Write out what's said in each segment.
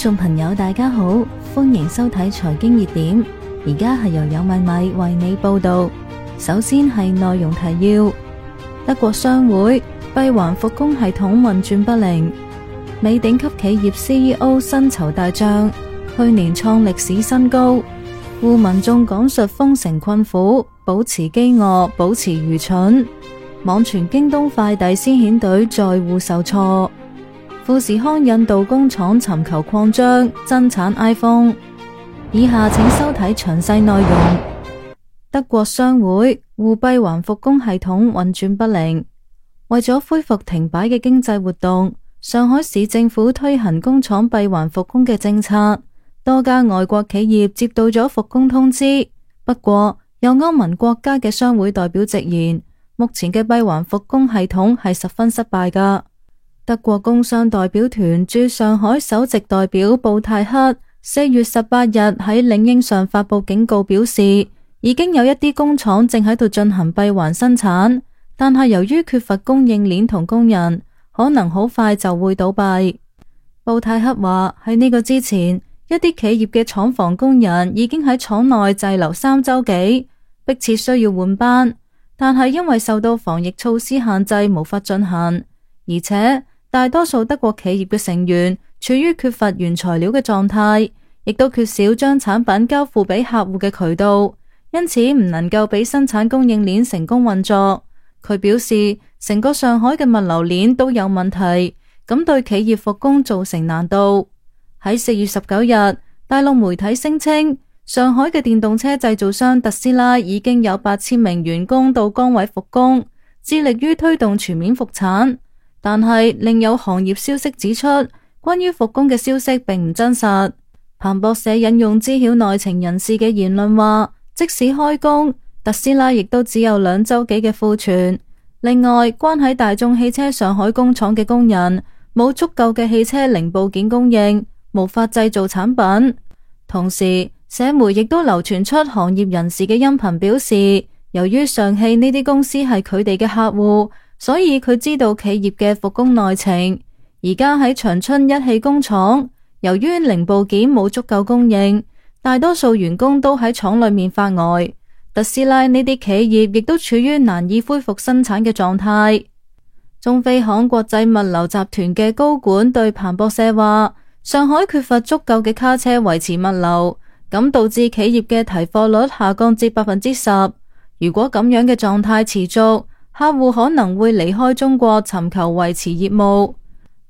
眾朋友大家好，歡迎收睇財經熱點，而家係由有米米為你報道。首先係內容提要：德國商會閉環復工系統運轉不靈，美頂級企業 CEO 薪酬大漲，去年創歷史新高。滬民眾講述封城困苦，保持飢餓，保持愚蠢。網傳京東快遞先遣隊載戶受挫。富士康印度工廠尋求擴張，增產 iPhone。以下請收睇詳細內容。德國商會滬閉環復工系統運轉不靈，為咗恢復停擺嘅經濟活動，上海市政府推行工廠閉環復工嘅政策，多家外國企業接到咗復工通知。不過，有歐盟國家嘅商會代表直言，目前嘅閉環復工系統係十分失敗㗎。德國工商代表團駐上海首席代表布泰克4月18日喺領英上發佈警告，表示已經有一啲工廠正喺度進行閉環生產，但係由於缺乏供應鏈同工人，可能好快就會倒閉。布泰克話喺呢個之前，一啲企業嘅廠房工人已經喺廠內滯留3週幾，迫切需要換班，但係因為受到防疫措施限制無法進行，而且大多數德國企業嘅成員處於缺乏原材料嘅狀態，亦都缺少將產品交付俾客戶嘅渠道，因此唔能夠俾生產供應鏈成功運作。佢表示，成個上海嘅物流鏈都有問題，咁對企業復工造成難度。喺4月19日，大陸媒體聲稱，上海嘅電動車製造商特斯拉已經有8000名員工到崗位復工，致力於推動全面復產。但係另有行業消息指出，關於復工嘅消息並唔真實。彭博社引用知曉內情人士嘅言論話，即使開工，特斯拉亦都只有2週幾嘅庫存。另外，關喺大眾汽車上海工廠嘅工人冇足夠嘅汽車零部件供應，無法製造產品。同時，社媒亦都流傳出行業人士嘅音頻表示，由於上汽呢啲公司係佢哋嘅客戶，所以佢知道企業嘅復工內情。而家喺長春一汽工廠，由於零部件冇足夠供應，大多數員工都喺廠裏面發呆。特斯拉呢啲企業亦都處於難以恢復生產嘅狀態。中飛航國際物流集團嘅高管對彭博社話，上海缺乏足夠嘅卡車維持物流，咁導致企業嘅提貨率下降至 10%。如果咁樣嘅狀態持續，客戶可能會離開中國尋求維持業務。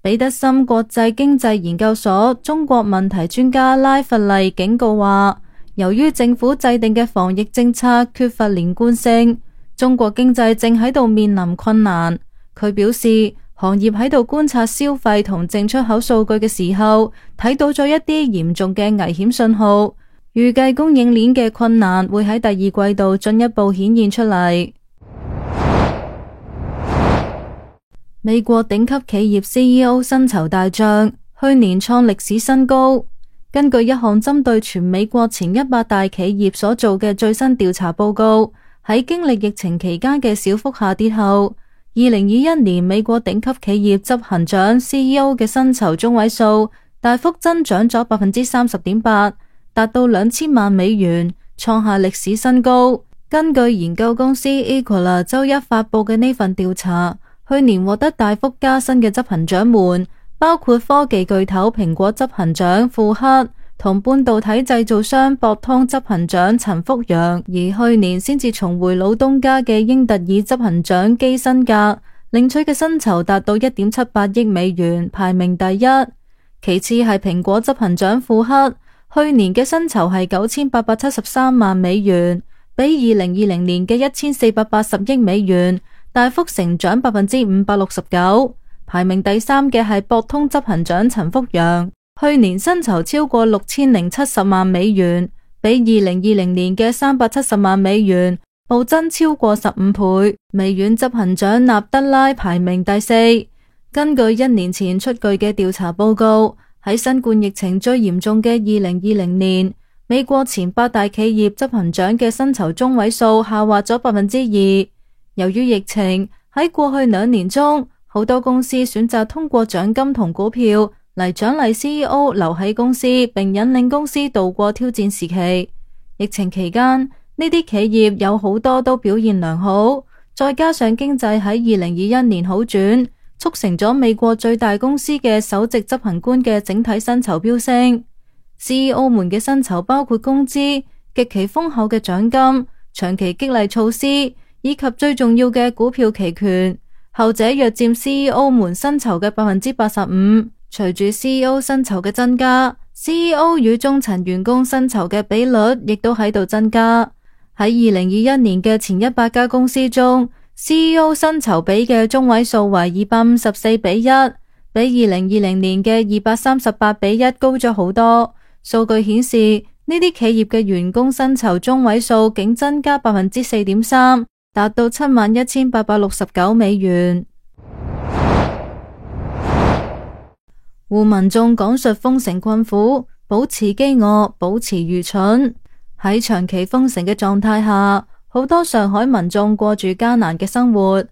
彼得森國際經濟研究所中國問題專家拉弗利警告話，由於政府制定嘅防疫政策缺乏連貫性，中國經濟正喺度面臨困難。佢表示，行業喺度觀察消費同淨出口數據嘅時候，睇到咗一啲嚴重嘅危險信號，預計供應鏈嘅困難會喺第二季度進一步顯現出嚟。美國頂級企業 CEO 薪酬大漲，去年創歷史新高。根據一項針對全美國前100大企業所做嘅最新調查報告，喺經歷疫情期間嘅小幅下跌後，2021年美國頂級企業執行長 CEO 嘅薪酬中位數大幅增長咗 30.8%， 達到2000萬美元，創下歷史新高。根據研究公司 Equala 周一發佈嘅呢份調查，去年獲得大幅加薪嘅執行長們，包括科技巨頭蘋果執行長庫克同半導體製造商博通執行長陳福陽，而去年先至重回老東家嘅英特爾執行長基辛格領取嘅薪酬達到 1.78 億美元，排名第一。其次係蘋果執行長庫克，去年嘅薪酬係9873萬美元，比2020年嘅1480億美元大幅成長 569%。排名第三嘅係博通執行長陳福陽，去年薪酬超過6070萬美元，比2020年嘅370萬美元暴增超過15倍。微軟執行長納德拉排名第四。根據1年前出具嘅調查報告，喺新冠疫情最嚴重嘅2020年，美國前8大企業執行長嘅薪酬中位數下滑咗 2%。由於疫情，喺過去2年中，好多公司選擇通過獎金同股票嚟獎勵 CEO 留喺公司，並引領公司度過挑戰時期。疫情期間，呢啲企業有好多都表現良好，再加上經濟喺2021年好轉，促成咗美國最大公司嘅首席執行官嘅整體薪酬飆升。CEO 們嘅薪酬包括工資、極其豐厚嘅獎金、長期激勵措施，以及最重要嘅股票期權，後者約佔 CEO 們薪酬嘅85%。隨住 CEO 薪酬嘅增加， CEO 與中層員工薪酬嘅比率亦都喺度增加。喺2021年嘅前100家公司中， CEO 薪酬比嘅中位數為254:1，比2020年嘅238:1高咗好多。數據顯示，呢啲企業嘅員工薪酬中位數竟增加 4.3%， 達到71,869美元。滬民眾講述封城困苦，保持飢餓，保持愚蠢。喺長期封城嘅狀態下，好多上海民眾過住艱難嘅生活。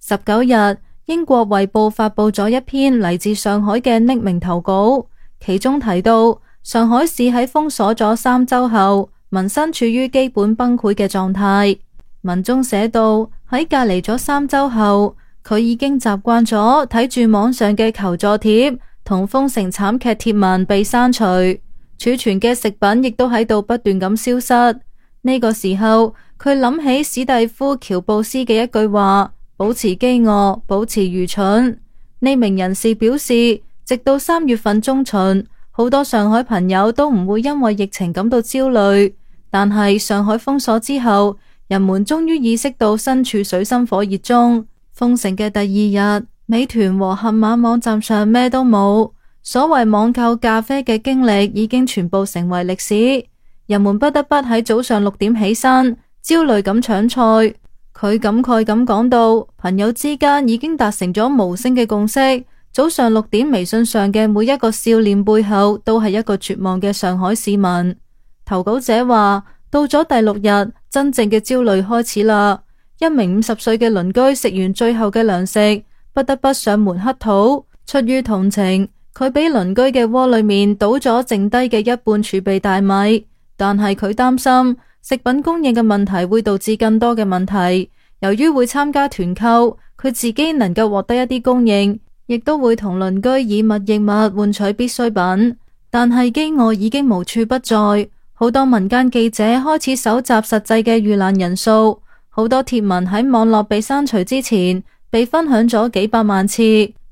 19日，英國衛報發佈咗一篇嚟自上海嘅匿名投稿，其中提到上海市喺封鎖咗3週後，民生處於基本崩潰嘅狀態。文中寫到，喺隔離咗3週後，佢已經習慣咗睇住網上嘅求助貼同封城慘劇貼文被刪除，儲存嘅食品亦都喺度不斷咁消失。呢個時候，佢諗起史蒂夫喬布斯嘅一句話：保持飢餓，保持愚蠢。呢名人士表示，直到3月份中旬，好多上海朋友都唔會因為疫情感到焦慮，但係上海封鎖之後，人們終於意識到身處水深火熱中。封城嘅第2日，美團和盒馬網站上咩都冇，所謂網購咖啡嘅經歷已經全部成為歷史。人們不得不喺早上6點起身，焦慮咁搶菜。佢感慨咁講到，朋友之間已經達成咗無聲嘅共識。早上6點微信上嘅每一個笑臉背後，都係一個絕望嘅上海市民。投稿者話，到咗第6日，真正嘅焦慮開始啦。一名50歲嘅鄰居食完最後嘅糧食，不得不上門乞討。出於同情，佢俾鄰居嘅鍋裏面倒咗剩低嘅一半儲備大米，但係佢擔心食品供應嘅問題會導致更多嘅問題。由於會參加團購，佢自己能夠獲得一啲供應，亦都會同鄰居以物易物換取必需品。但係飢餓已經無處不在，好多民間記者開始搜集實際嘅遇難人數。好多貼文喺網絡被刪除之前，被分享咗幾百萬次。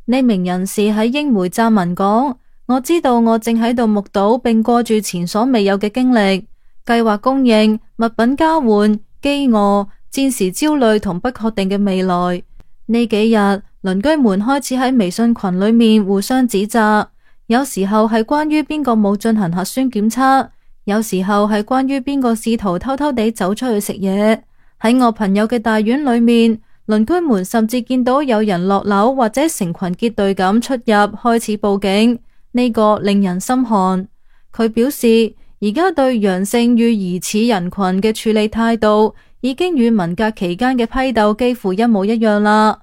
呢名人士喺英媒撰文講：我知道我正喺度目睹並過住前所未有嘅經歷，計劃供應、物品交換、飢餓、戰時焦慮同不確定嘅未來。呢幾日，鄰居們開始喺微信群裏面互相指責，有時候係關於邊個冇進行核酸檢測，有時候係關於邊個試圖偷偷地走出去食嘢。喺我朋友嘅大院裏面，鄰居們甚至見到有人落樓或者成群結隊咁出入，開始報警。呢個令人心寒。佢表示，而家對陽性與疑似人群嘅處理態度，已經與文革期間嘅批鬥幾乎一模一樣啦。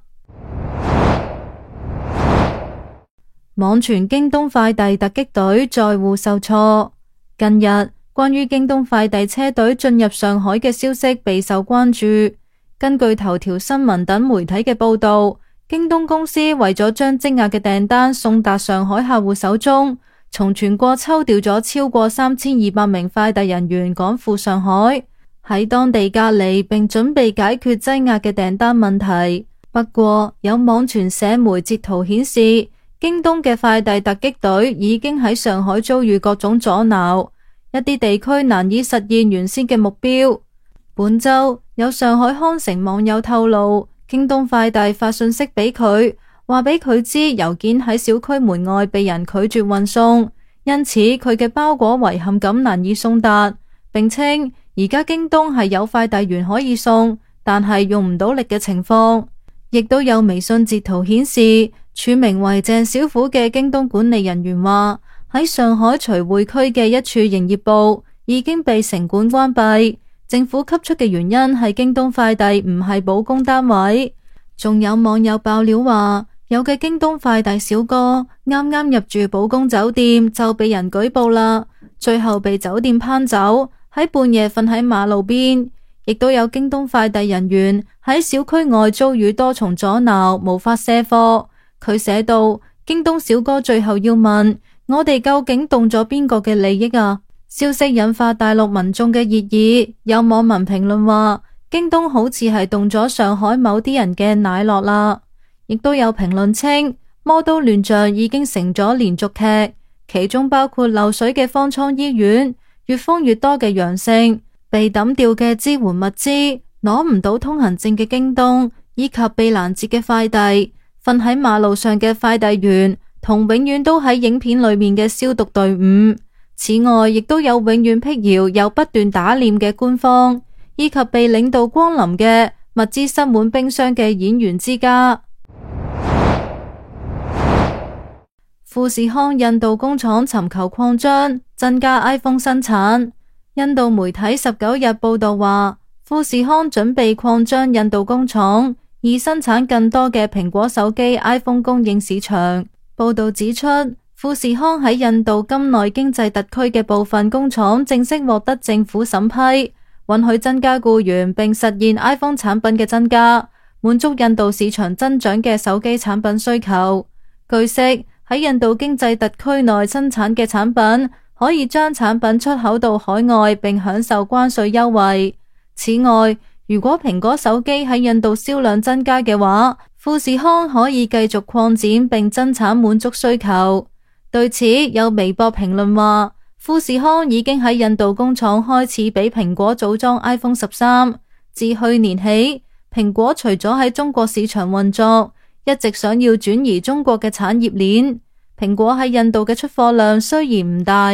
網傳京東快遞突擊隊載戶受挫。近日，關於京東快遞車隊進入上海嘅消息備受關注。根據頭條新聞等媒體嘅報道，京東公司為咗將積壓嘅訂單送達上海客戶手中，從全國抽調咗超過3200名快遞人員趕赴上海，喺當地隔離並準備解決積壓嘅訂單問題。不過，有網傳社媒截圖顯示，京東嘅快遞突擊隊已經喺上海遭遇各種阻撓，一啲地區難以實現原先嘅目標。本周有上海康城網友透露，京東快遞發信息俾佢，話俾佢知郵件喺小區門外被人拒絕運送，因此佢嘅包裹遺憾咁難以送達，並稱而家京東係有快遞員可以送，但係用唔到力嘅情況。亦都有微信截圖顯示，署名為鄭小虎嘅京東管理人員話，喺上海徐匯區嘅一處營業部已經被城管關閉，政府給出嘅原因係京東快遞唔係保供單位。仲有網友爆料話，有嘅京東快遞小哥啱啱入住寶宮酒店就被人舉報啦，最後被酒店抨走，喺半夜瞓喺馬路邊。亦都有京東快遞人員喺小區外遭遇多重阻撓，無法卸貨。佢寫道：京東小哥最後要問我哋究竟動咗邊個嘅利益啊？消息引發大陸民眾嘅熱議，有網民評論話京東好似係動咗上海某啲人嘅奶酪啦。亦都有評論稱魔都亂象已經成咗連續劇，其中包括漏水嘅方艙醫院、越封越多嘅陽性、被抌掉嘅支援物資、攞唔到通行證嘅京東，以及被攔截嘅快遞、瞓喺馬路上嘅快遞員，同永遠都喺影片裏面嘅消毒隊伍。此外，亦都有永遠闢謠又不斷打臉嘅官方，以及被領導光臨嘅物資塞滿冰箱嘅演員之家。富士康印度工廠尋求擴張，增加 iPhone 生產。印度媒體19日報道話，富士康準備擴張印度工廠，以生產更多嘅蘋果手機 iPhone 供應市場。報道指出，富士康喺印度金內經濟特區嘅部分工廠正式獲得政府審批，允許增加僱員並實現 iPhone 產品嘅增加，滿足印度市場增長嘅手機產品需求。據悉，喺印度經濟特區內生產嘅產品可以將產品出口到海外並享受關稅優惠。此外，如果蘋果手機喺印度銷量增加嘅話，富士康可以繼續擴展並增產滿足需求。對此，有微博評論話，富士康已經喺印度工廠開始俾蘋果組裝 iPhone 13。自去年起，蘋果除咗喺中國市場運作，一直想要轉移中國嘅產業鏈。蘋果喺印度嘅出貨量雖然唔大，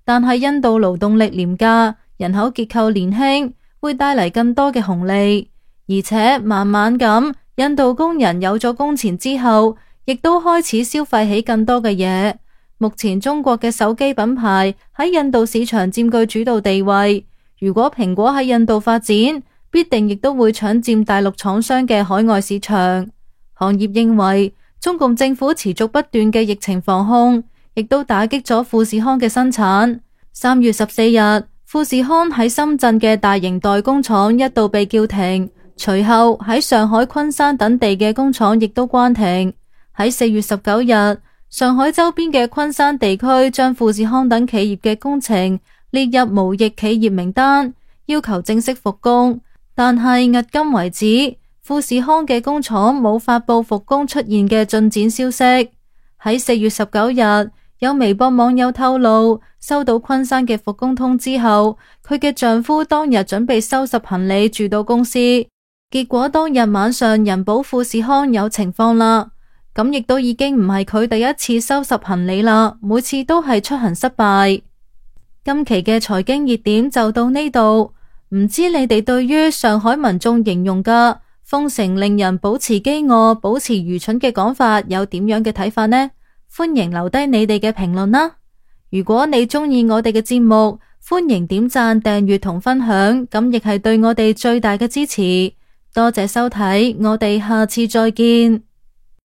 但係印度勞動力廉價，人口結構年輕，會帶嚟更多嘅紅利。而且慢慢咁，印度工人有咗工錢之後，亦都開始消費起更多嘅嘢。目前中國嘅手機品牌喺印度市場佔據主導地位，如果蘋果喺印度發展，必定亦都會搶佔大陸廠商嘅海外市場。行業認為，中共政府持續不斷嘅疫情防控，亦都打擊咗富士康嘅生產。3月14日，富士康喺深圳嘅大型代工廠一度被叫停，隨後喺上海、昆山等地嘅工廠亦都關停。喺4月19日，上海周邊嘅昆山地區將富士康等企業嘅工程列入無疫企業名單，要求正式復工。但係迄今為止，富士康嘅工廠冇發佈復工出現嘅進展消息。喺4月19日，有微博網友透露，收到昆山嘅復工通知後，佢嘅丈夫當日準備收拾行李住到公司，結果當日晚上人保富士康有情況啦。咁亦都已經唔係佢第一次收拾行李啦，每次都係出行失敗。今期嘅財經熱點就到呢度，唔知你哋對於上海民眾形容嘅封城令人保持飢餓、保持愚蠢嘅講法有點樣嘅睇法呢？歡迎留低你哋嘅評論啦！如果你鍾意我哋嘅節目，歡迎點讚、訂閱同分享，咁亦係對我哋最大嘅支持。多謝收睇，我哋下次再見。